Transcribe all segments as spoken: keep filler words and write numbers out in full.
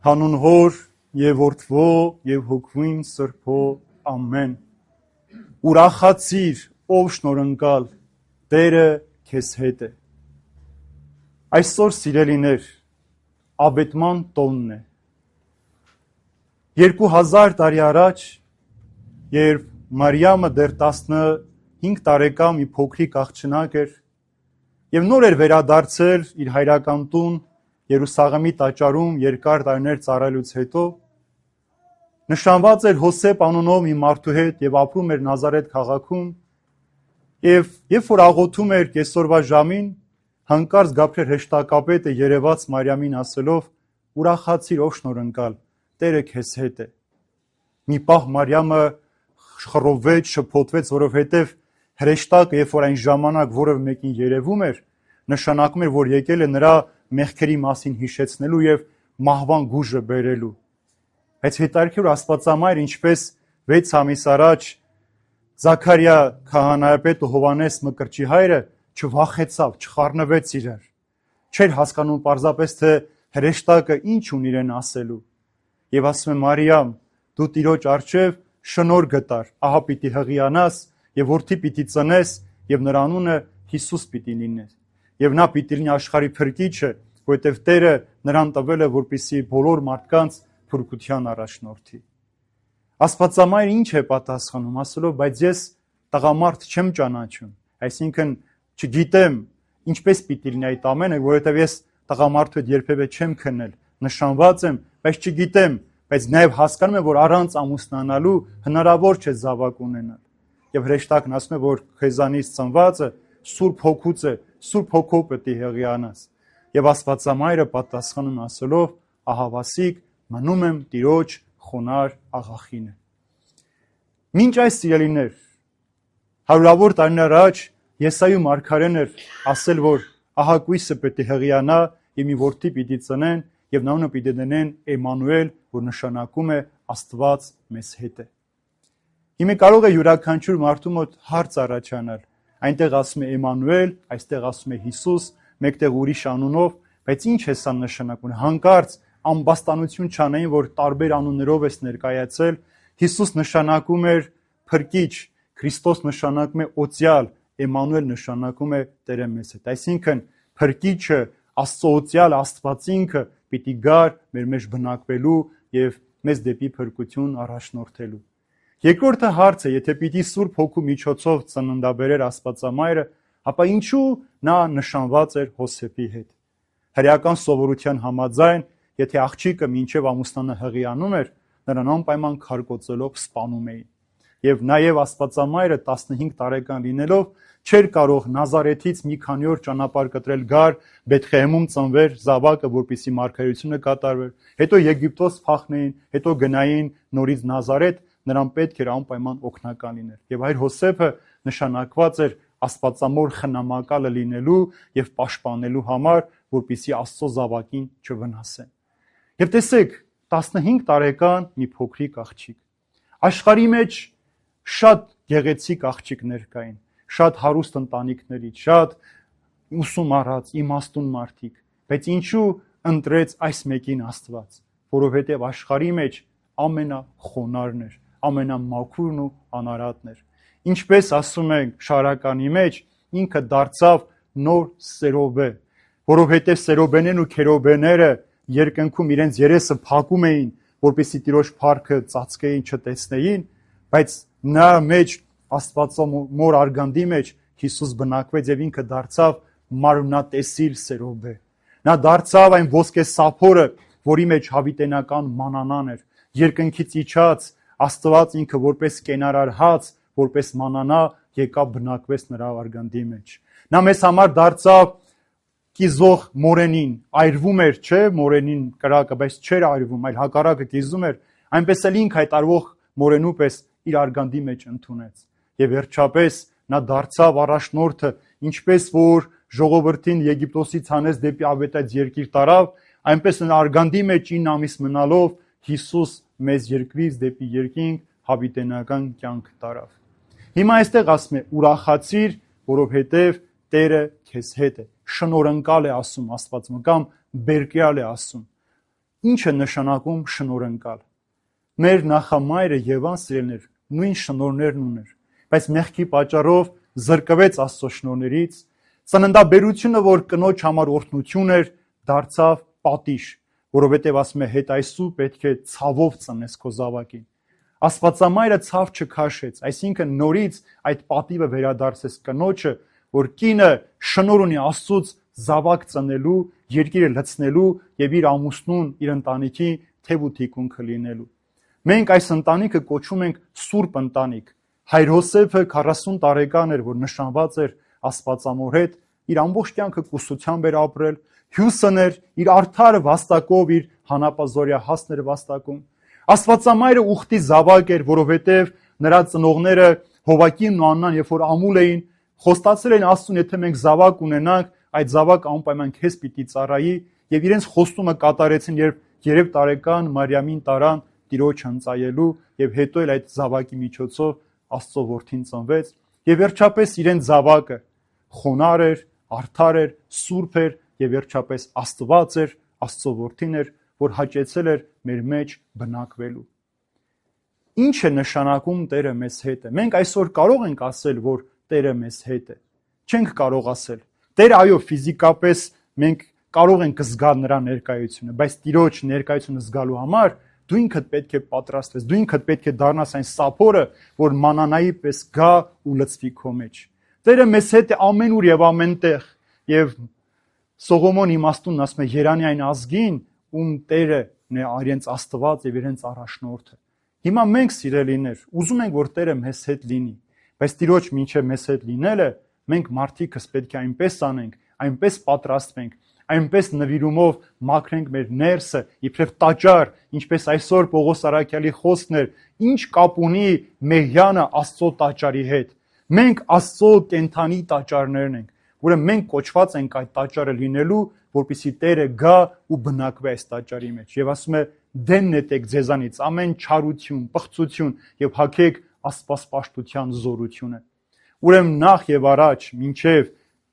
Հանուն Հոր եւ Որդվո եւ Հոգվին Սրբո ամեն։ Ուրախացիր, ով շնորհընկալ, Տերը քեզ հետ է։ Այսօր սիրելիներ, Աբետման տոնն է։ Երկու հազար տարի առաջ, երբ Մարիամը դեռ տասնհինգ տարեկան մի փոքրիկ աղջնակ էր եւ նոր էր վերադարձել իր հայրական տուն Երուսաղեմի տաճարում երկար տարիներ ծառայելուց հետո, նշանված էր Հոսեփ անունով մի մարդու հետ եւ ապրում էր Նազարեթ քաղաքում, եւ երբ որ աղոթում էր կեսօրվա ժամին, հանկարծ Գաբրիել հեշտակապետը երևաց Մարիամին ասելով. «Ուրախացիր, ով շնորհընկալ, Տերը քեզ հետ է»։ Մի պահ Մարիամը խռովվեց, շփոթվեց, որովհետեւ հրեշտակը, երբ որ այն ժամանակ որևէ մեկին երևում էր, նշանակում էր, որ եկել է նրա մեղքերի մասին հիշեցնելու եւ մահվան գուժը բերելու։ Բայց հետարքյուր Աստվածամայր, ինչպես վեց ամիս առաջ Զաքարիա քահանայապետը Հովանես Մկրտչի հայրը չվախեցավ, չխառնվեց իրար։ Չէր հասկանում պարզապես, թե հրեշտակը ինչ ունի իրեն ասելու։ Եվ ասում է Մարիամ, դու Տիրոջ առջև շնորհ գտար, ահա պիտի հղիանաս եւ որդի պիտի ծնես եւ նրա անունը Հիսուս պիտի լիներ։ Եվ նա պիտի լինի աշխարհի փրկիչը, որովհետև Տերը նրան տվել է, որպեսզի բոլոր մարդկանց փրկության առաջնորդի։ Աստվածամայրը ինչ է պատասխանում, ասելով, բայց ես տղամարդ չեմ ճանաչում, այսինքն չգիտեմ ինչպես պիտի լինի այդ ամենը, որովհետև ես տղամարդու հետ երբևէ չեմ քննել, նշանված եմ, բայց չգիտեմ, բայց նաև հասկանում եմ, որ առանց ամուսնանալու հնարավոր չէ զավակ ունենալ։ Եվ հրեշտակն ասում է, որ քեզանից ծնվածը Սուրբ Հոգուց է, Սուրբ Հոգով պետք է հղիանաս։ Եվ Աստվածամայրը պատասխանում ասելով, ահավասիկ մնում եմ Տիրոջ խոնար աղախինը։ Մինչ այս սիրելիներ, հարյուրավոր տարիներ առաջ Եսայու մարգարեն էր ասել, որ ահա կույսը պետք է հղիանա եւ մի որդի պիտի ծնեն եւ նա անունը պիտի դնեն Էմանուել, որ նշանակում է Աստված մեզ հետ է։ Հիմա կարող է յուրաքանչյուր մարդու մոտ հարց առաջանալ։ Այնտեղ ասում է Էմանուել, այստեղ ասում է Հիսուս, մեկտեղ ուրիշ անունով, բայց ինչ է սա նշանակում։ Հանկարծ ամբաստանություն չանային, որ տարբեր անուններով է ներկայացել։ Հիսուս նշանակում էր փրկիչ, Քրիստոս նշանակում է օծյալ, Էմանուել նշանակում է Տերը մեզ հետ։ Այսինքն փրկիչը, Աստծո օծյալ Աստվածինքը պիտի գար մեր մեջ բնակվելու եւ մեզ դեպի փրկություն առաջնորդելու։ Երկրորդը հարցը, եթե պիտի Սուրբ Հոգու միջոցով ծննդաբերեր Աստվածամայրը, ապա ինչու նա նշանված էր Հոսեփի հետ։ Հրեական սովորության համաձայն, եթե աղջիկը մինչև ամուսնանը հղիանում էր, նրան անպայման քարկոծելով սպանում էին։ Եվ նաև Աստվածամայրը տասնհինգ տարեկան լինելով չէր կարող Նազարեթից մի քանի օր ճանապարհ կտրել գար Բեթխեհեմում ծնվեր զավակը, որպեսզի մարգարեությունը կատարվեր, հետո Եգիպտոս փախնեին, հետո գնային նորից Նազարեթ, նրան պետք էր անպայման օգնական լինել։ Եվ այր Հոսեփը նշանակված էր Աստվածամոր խնամակալը լինելու եւ պաշտպանելու համար, որպեսզի Աստծո զավակին չվնասեն։ Եվ տեսեք, տասնհինգ տարեկան մի փոքրիկ աղջիկ։ Աշխարհի մեջ շատ գեղեցիկ աղջիկներ կային, շատ հարուստ ընտանիքներից, շատ ուսում առած, իմաստուն մարդիկ, բայց ինչու ընտրեց այս մեկին Աստված, որովհետև աշխարհի մեջ ամենախոնարհն էր, ամենամաքուրն ու անարատն էր։ Ինչպես ասում ենք շարականի մեջ, ինքը դարձավ նոր Սերոբե, որովհետև Սերոբեներն ու Քերոբեները երկնքում իրենց երեսը փակում էին, որպեսզի Տիրոջ փառքը ծածկեին, չտեսնեին, բայց նա մեջ Աստվածամոր արգանդի մեջ Հիսուս բնակվեց եւ ինքը դարձավ մարմնատեսիլ Սերոբե։ Նա դարձավ այն ոսկե սափորը, որի մեջ հավիտենական մանանան էր, երկնքից իջած Աստված ինքը որպես կենարար հաց, որպես մանանա եկավ բնակվեց նրա արգանդի մեջ։ Նա մեզ համար դարձավ կիզող մորենին, այրվում էր, չէ, մորենին կրակը, բայց չէր այրվում, այլ հակառակը կիզում էր, այնպես էլ ինքը այդ արվող մորենու պես իր արգանդի մեջ ընդունեց։ Եվ վերջապես նա դարձավ առաջնորդը, ինչպես որ ժողովրդին Եգիպտոսից հանեց դեպի ավետած երկիր տարավ, այնպես նա արգանդի մեջ ինը ամիս մնալով Հիսուս մեզ երկրից դեպի երկինք հավիտենական կյանք տարավ։ Հիմա այստեղ ասում է ուրախացիր, որովհետև Տերը քեզ հետ է։ Շնորհընկալ է ասում Աստված, կամ բերկյալ է ասում։ Ինչ է նշանակում շնորհընկալ։ Մեր նախամայրը Եվան սիրելիներ նույն շնորհներն ուներ, բայց մեղքի պատճառով զրկվեց Աստծո շնորհներից, ծննդաբերությունը, որ կնոջ համար օրհնություն էր, դարձավ պատիժ, որովհետև ասում է հետ այսու պետք է ցավով ծնես քո զավակին։ Աստվածամայրը ցավ չքաշեց, այսինքն նորից այդ պատիվը վերադարձեց կնոջը, որ կինը շնորհ ունի Աստծուց զավակ ծնելու, երկիրը լցնելու եւ իր ամուսնուն, իր ընտանիքի թև ու թիկունքը լինելու։ Մենք այս ընտանիքը կոչում ենք Սուրբ ընտանիք։ Հայր Հոսեփը քառասուն տարեկան էր, որ նշանված էր Աստվածամոր հետ, իր ամբողջ կյանքը կուսությամբ էր ապրել, հյուսն էր, իր արդարը վաստակով իր հանապազորյա հասն էր վաստակում։ Աստվածամայրը ուխտի զավակ էր, որովհետև նրա ծնողները Հովակիմն ու Աննան, երբ որ ամուլ էին, խոստացել էին Աստծուն, եթե մենք զավակ ունենանք, այդ զավակը անպայման քեզ պիտի ծառայի, եւ իրենց խոստումը կատարեցին, երբ երեք տարեկան Մարիամին տարան Տիրոջ հնծայելու, եւ հետո էլ այդ զավակի միջոցով Աստծո որդին ծնվեց, եւ վերջապես իրեն զավակը խոնար էր, արդար էր, սուրբ էր եւ վերջապես Աստված էր, Աստծո որդին էր, որ հաճեցել էր մեր մեջ բնակվելու։ Ինչ է նշանակում Տերը մեզ հետ է։ Մենք այսօր կարող ենք ասել, որ Տերը մեզ հետ է։ Չենք կարող ասել։ Տերը այո, ֆիզիկապես մենք կարող ենք զգալ նրա ներկայությունը, բայց Տիրոջ ներկայությունը զգալու համար դու ինքդ պետք է պատրաստվես, դու ինքդ պետք է դառնաս այն սափորը, որ մանանայի պես գա ու լցվի քո մեջ։ Տերը մեզ հետ է ամենուր եւ ամենտեղ, եւ Սողոմոն իմաստունն ասում է Երանի այն ազգին, ում Տերն է իրենց Աստված եւ իրենց առաջնորդը։ Հիմա մենք սիրելիներ, ուզում ենք, որ Տերը մեզ հետ լինի, բայց Տիրոջ մինչև մեզ հետ լինելը մենք մարդիկս պետք է այնպես անենք, այնպես պատրաստվենք, այնպես նվիրումով մաքրենք մեր ներսը, իբրև տաճար, ինչպես այսօր Պողոս Արաքյալի խոսքն էր, ինչ կապ ունի Մեհյանը Աստծո տաճարի հետ։ Մենք Աստծո կենթանի տաճարներն ենք, ուրեմն մենք կոչված ենք այդ տաճարը լինելու, որպեսզի Տերը գա ու բնակվի այս տաճարի մեջ։ Եվ ասում է. դեն նետեք ձեզանից ամեն չարություն, պղծություն եւ հագեք աստվածպաշտության զորությունը։ Ուրեմն նախ եւ առաջ, մինչեւ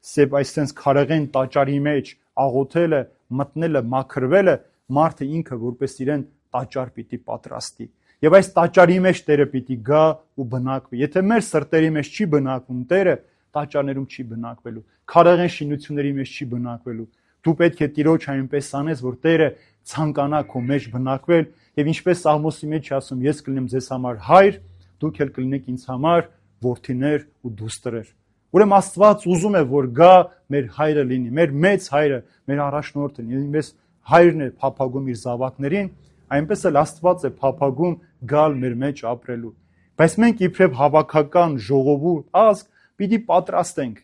սեփ այսպես քարեղեն տաճարի մեջ աղոթելը, մտնելը, մաքրվելը, մարդը ինքը որպես իրեն տաճար պիտի պատրաստի։ Եվ այս տաճարի մեջ Տերը պիտի գա ու բնակվի։ Եթե մեր սրտերի մեջ չի բնակվում Տերը, տաճարներում չի բնակվելու, քարեղեն շինությունների մեջ չի բնակվելու։ Դու պետք է Տիրոջ այնպես անես, որ Տերը ցանկանա քո մեջ բնակվել, եւ ինչպես Սաղմոսի մեջ ասում, ես կլինեմ ձեզ համար հայր, դուք էլ կլինեք ինձ համար որդիներ ու դուստրեր։ Ուրեմն Աստված ուզում է, որ գա մեր հայրը լինի, մեր մեծ հայրը, մեր առաջնորդը, ինքնպես հայրն է փափագում իր զավակներին, այնպես էլ Աստված է փափագում գալ մեր մեջ ապրելու։ Բայց մենք իբրև հավաքական ժողովուրդ, ազգ, պիտի պատրաստենք։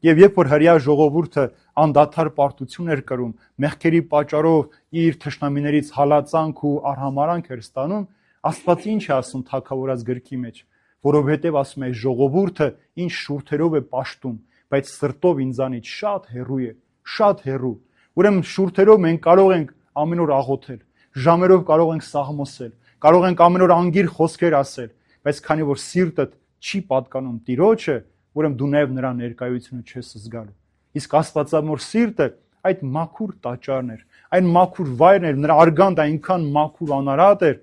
Եվ երբ որ հրեա ժողովուրդը անդադար պարտություն էր կրում, մեղքերի պատճառով իր թշնամիներից հալածանք ու արհամարանք էր ստանում, Աստված ինչ է ասում Թագավորաց գրքի մեջ, որովհետև ասում է ժողովուրդը ինչ շուրթերով է պաշտում, բայց սրտով ինձանից շատ հեռու է, շատ հեռու։ Ուրեմն շուրթերով մենք կարող ենք ամեն օր աղոթել, ժամերով կարող ենք սաղմոսել, կարող ենք ամեն օր անգիր խոսքեր ասել, բայց քանի որ սիրտդ չի պատկանում Տիրոջը, ուրեմն դու նաև նրա ներկայությունը չես զգալու։ Իսկ Աստվածամոր սիրտը այդ մաքուր տաճարն էր, այն մաքուր վայրն էր, նրա արգանդը այնքան մաքուր անարատ էր,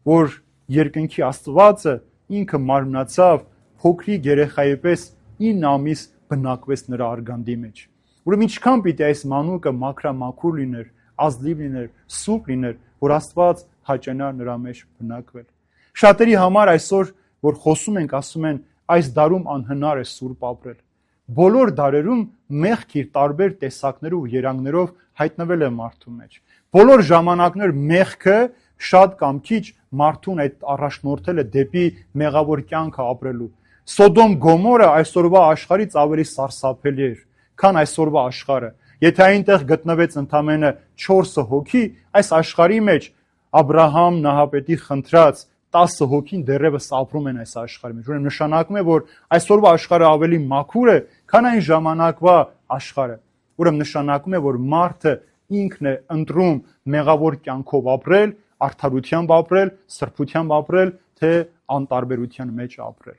որ երկնքի Աստվածը ինքը մարմնացավ փոքրիկ երեխայի պես ինը ամիս բնակվեց նրա արգանդի մեջ։ Ուրեմն ինչքան պիտի այս մանուկը մաքրամաքուր լիներ, ազնիվ լիներ, սուրբ լիներ, որ Աստված հաճանար նրա մեջ բնակվել։ Շատերի համար այսօր, որ խոսում ենք, ասում են, այս դարում անհնար է սուրբ ապրել։ Բոլոր դարերում մեղք իր տարբեր տեսակներով ու երանգներով հայտնվել է մարդու մեջ։ Բոլոր ժամանակներ մեղքը շատ կամ քիչ մարդուն այդ առաջնորդել է դեպի մեղավոր կյանքը ապրելու։ Սոդոմ Գոմորը այսօրվա աշխարհից ավելի սարսափելի էր, քան այսօրվա աշխարհը։ Եթե այնտեղ գտնվեց ընդամենը չորս հոգի, այս աշխարհի մեջ Աբրահամ Նահապետի խնդրած տասը հոգին դեռևս ապրում են այս աշխարհի մեջ։ Ուրեմն նշանակում է, որ այսօրվա աշխարհը ավելի մաքուր է, քան այն ժամանակվա աշխարհը։ Ուրեմն նշանակում է, որ մարդը ինքն է ընտրում մեղավոր կյանքով ապրել, արդարությամբ ապրել, սրբությամբ ապրել, թե անտարբերության մեջ ապրել։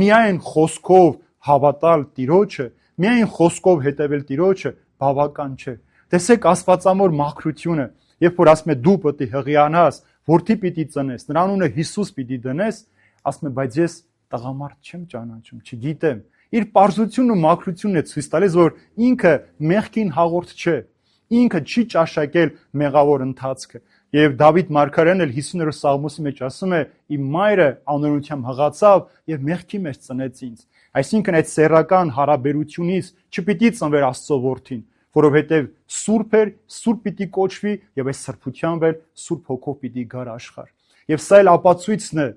Միայն խոսքով հավատալ Տիրոջը, միայն խոսքով հետևել Տիրոջը բավական չէ։ Տեսեք Աստվածամոր մաքրությունը, Երբ որ ասում է դու պետք է հղիանաս, որդի պիտի ծնես, նրա անունը Հիսուս պիտի դնես, ասում է, բայց ես տղամարդ չեմ ճանաչում, չգիտեմ։ Իր պարզությունն ու մաքրությունն է ցույց տալիս, որ ինքը մեղքին հաղորդ չէ, ինքը չի ճաշակել մեղավոր ընթացքը։ Եվ Դավիթ մարգարեն էլ հիսուներորդ Սաղմոսի մեջ ասում է. «Իմ մայրը անօրությամբ հղացավ եւ մեղքի մեջ ծնեց ինձ»։ Այսինքն այդ սեռական հարաբերությունից չպիտի ծնվեր Աստծո որդին, որովհետեւ սուրբ էր, սուրբ պիտի կոչվի եւ այս սրբությամբ էլ սուրբ հոգով պիտի գար աշխարհ։ Եվ սա էլ ապացույցն է,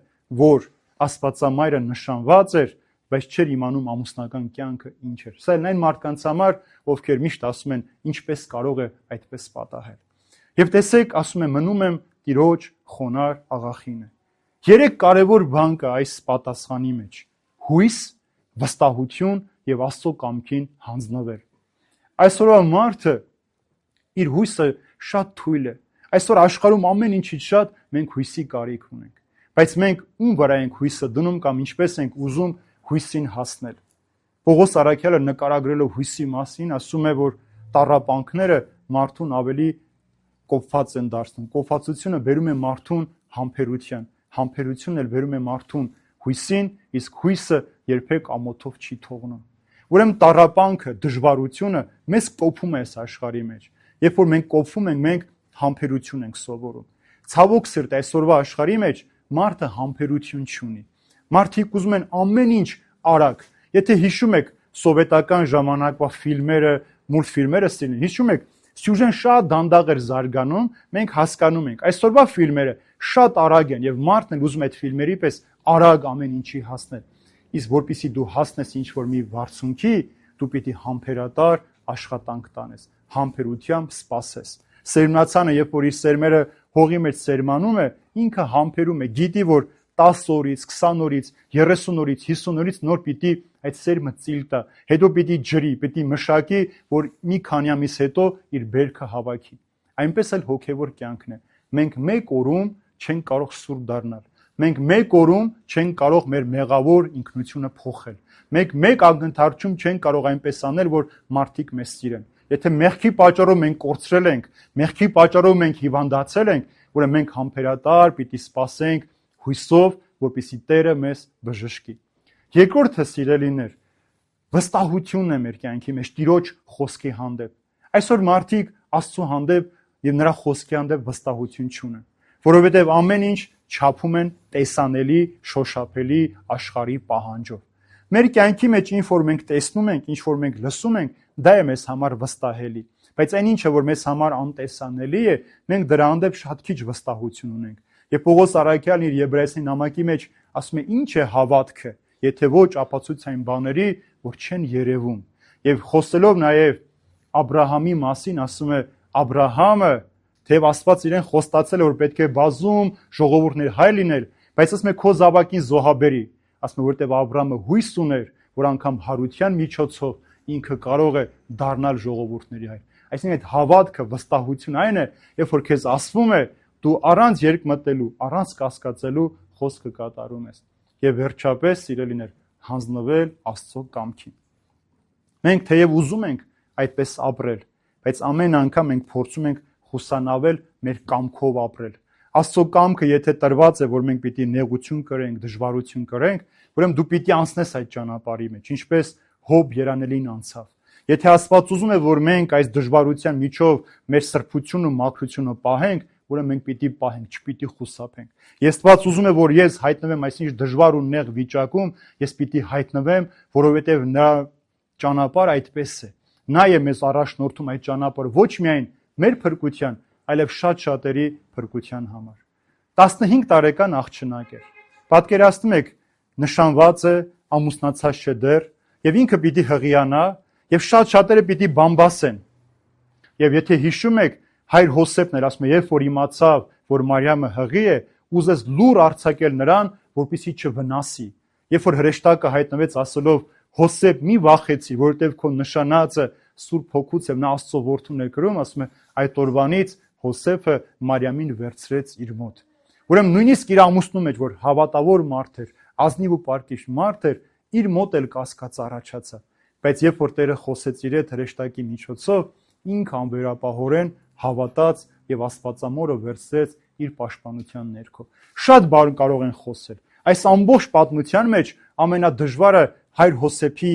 որ Աստվածամայրը նշանված էր, բայց չէր իմանում ամուսնական կյանքը ինչ էր։ Սա էլ այն մարդկանց համար, ովքեր միշտ ասում են, ինչպես կարող է այդպես պատահել։ Եվ տեսեք, ասում է, մնում եմ Տիրոջ խոնար աղախինը։ Երեք կարևոր բան կա այս պատասխանի մեջ. հույս, վստահություն եւ Աստծո կամքին հանձնվել։ Այսօրվա մարդը իր հույսը շատ թույլ է։ Այսօր աշխարհում ամեն ինչից շատ մենք հույսի կարիք ունենք։ Բայց մենք ում վրա ենք հույսը դնում կամ ինչպես ենք ուզում հույսին հասնել։ Պողոս առաքյալը նկարագրելով հույսի մասին ասում է, որ տառապանքները մարդուն ավելի կոփված են դարձնում։ Կոփվածությունը բերում է մարդուն համբերության, համբերությունն էլ բերում է մարդուն հույսին, իսկ հույսը երբեք ամոթով չի թողնում։ Ուրեմն տառապանքը, դժվարությունը մեզ կոփում է այս աշխարհի մեջ։ Երբ որ մենք կոփվում ենք, մենք համբերություն ենք սովորում։ Ցավոք սրտի, այսօրվա աշխարհի մեջ մարդը համբերություն չունի։ Մարդիկ ուզում են ամեն ինչ արագ։ Եթե հիշում եք սովետական ժամանակվա ֆիլմերը, մուլտֆիլմերը ստին, հիշում եք, սյուժեն շատ դանդաղ էր զարգանում, մենք հասկանում ենք։ Այսօրվա ֆիլմերը շատ արագ են եւ մարդն էլ ուզում է այդ ֆիլմերի պես արագ ամեն ինչի հասնել։ Իսկ որpիսի դու հասնես ինչ-որ մի բարձունքի, դու պիտի համբերատար աշխատանք տանես, համբերությամբ սպասես։ Սերմնացանը, երբ որ իր սերմերը հողի մեջ սերմանում է, ինքը համբերում է, գիտի, որ տասը օրից, քսան օրից, երեսուն օրից, հիսուն օրից նոր պիտի այդ սերմը ծիլ տա, հետո պիտի ջրի, պիտի մշակի, որ մի քանի ամիս հետո իր բերքը հավաքի։ Այնպես էլ հոգևոր կյանքն է։ Մենք մեկ օրում չենք կարող սուրբ դառնալ։ Մենք մեկ օրում չենք կարող մեր մեղավոր ինքնությունը փոխել։ Մենք մեկ ակնթարթում չենք կարող այնպես անել, որ մարդիկ մեզ սիրեն։ Եթե մեղքի պատճառով մենք կորցրել ենք, մեղքի պատճառով մենք հիվանդացել ենք, ուրեմն մենք համբերատար պիտի սպասենք հույսով, որպեսզի Տերը մեզ բժշկի։ Երկրորդը, սիրելիներ, վստահությունն է մեր կյանքի մեջ Տիրոջ խոսքի հանդեպ։ Այսօր մարդիկ Աստծո հանդեպ եւ նրա խոսքի հանդեպ վստահություն չունեն, որովհետեւ ամեն ինչ չափում են տեսանելի, շոշափելի աշխարհի պահանջով։ Մեր կյանքի մեջ ինչ որ մենք տեսնում ենք, ինչ որ մենք լսում ենք, դա է մեզ համար վստահելի։ Բայց այն ինչը որ մեզ համար անտեսանելի է, մենք դրա հանդեպ շատ քիչ վստահություն ունենք։ Եվ Պողոս առաքյալն իր Եբրայեցի նամակի մեջ ասում է. ինչ է հավատքը, եթե ոչ ապացույցային բաների, որ չեն երևում։ Եվ խոսելով նաև Աբրահամի մասին ասում է. Աբրահամը, թեև Աստված իրեն խոստացել է, որ պետք է բազում ժողովուրդներ հայր լինել, բայց ասում է քո զավակին զոհաբերի։ Ասում է, որտեվ Աբրահամը հույս ուներ, որ անգամ հարության միջոցով ինքը կարող է դառնալ ժողովուրդների հայր։ Այսինքն այդ հավատքը, վստահություն այն է, երբ որ քեզ ասվում է, դու առանց երկմտելու, առանց կասկածելու խոսքը կատարում ես։ Եվ վերջապես, սիրելիներ, հանձնվել Աստծո կամքին։ Մենք թեև ուզում ենք այդպես ապրել, բայց ամեն անգամ մենք փորձում ենք խուսանավել մեր կամքով ապրել։ Աստծո կամքը եթե տրված է, որ մենք պիտի նեղություն կրենք, դժվարություն կրենք, ուրեմն դու պիտի անցնես այդ ճանապարհի մեջ, ինչպես Հոբ երանելին անցավ։ Եթե Աստված ուզում է, որ մենք այս դժվարության միջով մեր սրբությունն ու մաքրությունը պահենք, ուրեմն մենք պիտի պահենք, չպիտի խուսափենք։ Ես Աստված ուզում է, որ ես հայտնվեմ այսինչ դժվար ու նեղ վիճակում, ես պիտի հայտնվեմ, որովհետև նրա ճանապարհը այդպես է։ Նա է մեզ առաջնորդում այդ ճանապարհը ոչ միայն մեր փրկության, այլև շատ շատերի փրկության համար։ տասնհինգ տարեկան աղջնակ էր։ Պատկերացնում եք, նշանված է, ամուսնացած չէ դեռ, եւ ինքը պիտի հղիանա, եւ շատ շատերը պիտի բամբասեն։ Եվ եթե հիշում եք, հայր Հոսեփն էր ասում է, երբ որ իմացավ, որ Մարիամը հղի է, ուզեց լուր արձակել նրան, որպեսզի չվնասի։ Երբ որ հրեշտակը հայտնվեց ասելով. Հոսեփ, մի վախեցի, որովհետև քո նշանածը Սուրբ Հոգուց եւ նա Աստծո որդուն է կրում, ասում է, այդ օրվանից Հոսեփը Մարիամին վերցրեց իր մոտ։ Ուրեմն նույնիսկ իր ամուսնու մեջ, որ հավատավոր մարդ էր, ազնիվ ու պարկիշ մարդ էր, իր մոտ էլ կասկած առաջացավ։ Բայց երբ որ Տերը խոսեց իր հետ հրեշտակի միջոցով, ինքը անվերապահորեն հավատաց, եւ Աստվածամորը վերցրեց իր պաշտպանության ներքո։ Շատ բան կարող են խոսել։ Այս ամբողջ պատմության մեջ ամենադժվարը հայր Հոսեփի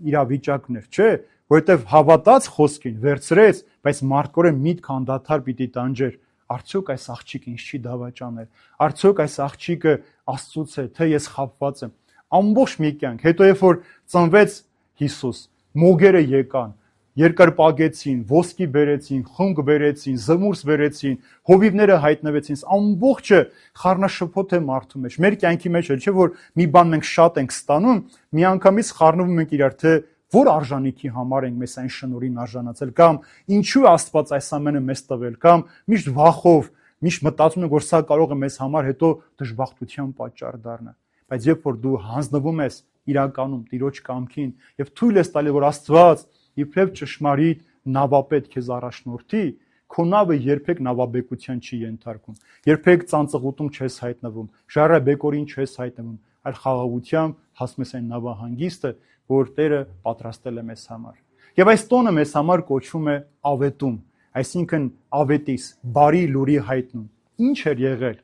իրավիճակն էր, չէ՞, որովհետեւ հավատաց խոսքին, վերցրեց, բայց մարդկորեն միտք անդադար պիտի տանջեր։ Արդյոք այս աղջիկը ինձ չի դավաճանել։ Արդյոք այս աղջիկը Աստծուց է, թե ես խաբված եմ։ Ամբողջ մի կյանք, հետո երբ որ ծնվեց Հիսուս, մոգերը եկան, երկրպագեցին, ոսկի բերեցին, խունկ բերեցին, զմուրս բերեցին, հովիվները հայտնվեցին, ամբողջը խառնաշփոթ է մարդու մեջ։ Մեր կյանքի մեջ էլ չէ որ մի բան մենք շատ ենք ստանում, միանգամից խառնվում ենք իրար, թե որ արժանիքի համար ենք մեզ այն շնորհին արժանացել, կամ ինչու Աստված այս ամենը մեզ տվել, կամ միշտ վախով, միշտ մտածում ենք, որ սա կարող է մեզ համար հետո դժբախտության պատճառ դառնա։ Բայց երբ որ դու հանձնվում ես իրականում Տիրոջ կամքին եւ թույլ ես տալի, որ Աստված իբրև ճշմարիտ նավապետ քեզ առաջնորդի, քո նավը երբեք նավաբեկության չի ենթարկում, երբեք ծանծղուտում չես հայտնվում, ժայռաբեկորին չես հայտնվում, այլ խաղաղությամբ հասնում ես այն նավահանգիստը, որ Տերը պատրաստել է մեզ համար։ Եվ այս տոնը մեզ համար կոչվում է ավետում, այսինքն ավետիս, բարի լուրի հայտնում։ Ինչ էր եղել։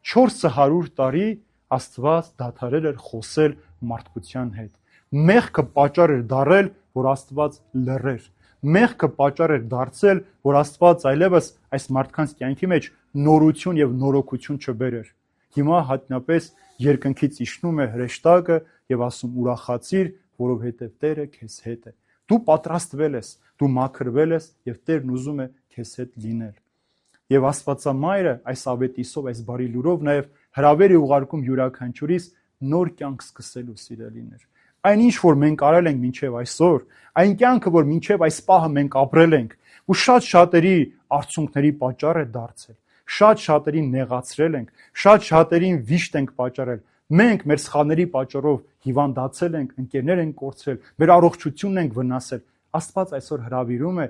չորս հարյուր տարի Աստված դադարել էր խոսել մարդկության հետ։ Մեղքը պատճառ էր դարել, որ Աստված լռեր։ Մեղքը պատճառ էր դարձել, որ Աստված այլևս այս մարդկանց կյանքի մեջ նորություն եւ նորոգություն չբերեր։ Հիմա հատնապես երկնքից իջնում է հրեշտակը եւ ասում ուրախացիր, որովհետեւ Տերը քեզ հետ է։ Դու պատրաստվել ես, դու մաքրվել ես եւ Տերն ուզում է քեզ հետ լինել։ Եվ Աստվածամայրը այս ավետիսով, այս բարի լուրով նաեւ հրավեր է ուղարկում յուրաքանչյուրիս նոր կյանք սկսելու, սիրելիներ։ Այն ինչ որ մենք արել ենք մինչև այսօր, այն կյանքը, որ մինչև այս պահը մենք ապրել ենք, ու շատ շատերի արցունքների պատճառ է դարձել, շատ շատերին նեղացրել ենք, շատ շատերին վիշտ ենք պատճառել։ Մենք մեր սխալների պատճառով հիվանդացել ենք, ընկերներ ենք կորցրել, մեր առողջությունն ենք վնասել։ Աստված այսօր հրավիրում է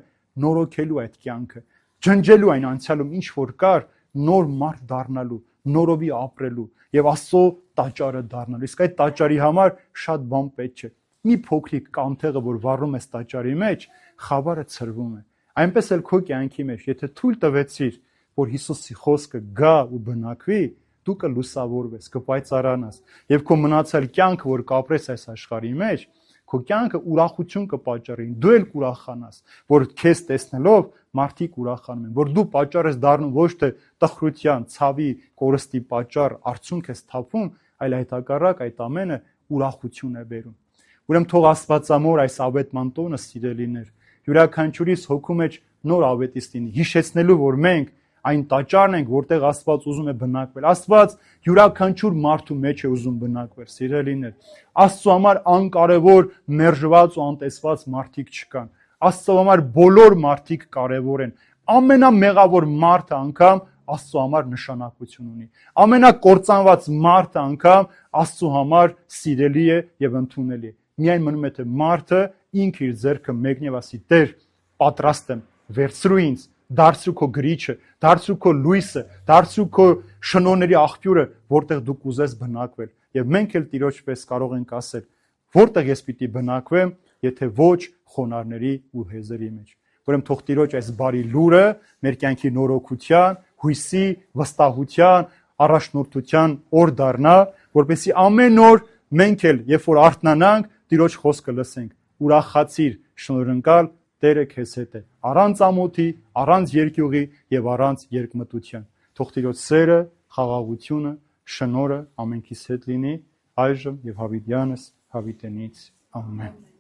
նորոգելու այդ կյանքը, ջնջելու այն անցյալում ինչ որ կար, նոր մարդ դառնալու, նորովի ապրելու եւ Աստծո տաճարը դառնալու։ Իսկ այդ տաճարի համար շատ բան պետք չէ։ Մի փոքրիկ կանթեղը, որ վառում ես տաճարի մեջ, խավարը ցրվում է։ Այնպես էլ քո կյանքի մեջ, եթե թույլ տվեցիր, որ Հիսուսի խոսքը գա ու բնակվի, դու կլուսավորվես, կպայծառանաս, եւ քո մնացյալ կյանքը, որ կապրես այս աշխարհի մեջ, քո կյանքը ուրախություն կպատճառի, դու էլ կուրախանաս, որ քեզ տեսնելով մարդիկ ուրախանում են, որ դու պատճառ ես դառնում ոչ թե տխրության, ցավի, կորստի պատճառ, արցունք ես թափում, այլ այդ հակառակ այդ ամենը ուրախություն է բերում։ Ուրեմն թող Աստվածամոր այս ավետման տոնը, սիրելիներ, յուրաքանչյուրիս հոգու մեջ նոր ավետիս լինի, հիշեցնելու, որ մենք այն տաճարն ենք, որտեղ Աստված ուզում է բնակվել։ Աստված յուրաքանչյուր մարդու մեջ է ուզում բնակվել, սիրելիներ։ Աստծո համար անկարևոր, մերժված ու անտեսված մարդիկ չկան։ Աստծո համար բոլոր մարդիկ կարևոր են։ Ամենամեղավոր մարդը անգամ Աստծո համար նշանակություն ունի։ Ամենակործանված մարդը անգամ Աստծո համար սիրելի է եւ ընդունելի է։ Միայն մնում է թե մարդը ինքը իր ձեռքը մեկնի եւ ասի. «Տեր, պատրաստ եմ, վերցրու ինձ, դարձրու քո գրիչը, դարձրու քո լույսը, դարձրու քո շնորհների աղբյուրը, որտեղ դու կուզես բնակվել»։ Եվ մենք էլ Տիրոջ պես կարող ենք ասել. «Որտեղ ես պիտի բնակվեմ, եթե ոչ խոնարհների ու հեզերի մեջ»։ Ուրեմն թող Տիրոջ այս բարի լուրը մեր կյանքի նորոգության, հույսի, վստահության, առաջնորդության օր դառնա, որպեսզի ամեն օր մենք էլ, երբ որ արթնանանք, Տիրոջ խոսքը լսենք. ուրախացիր, շնորհընկալ, Տերը քեզ հետ է, առանց ամոթի, առանց երկյուղի եւ առանց երկմտության։ Թող Տիրոջ սերը, խաղաղությունը, շնորհը ամենքիս հետ լինի այժմ եւ հավիտյանս հավիտենից։ Ամեն։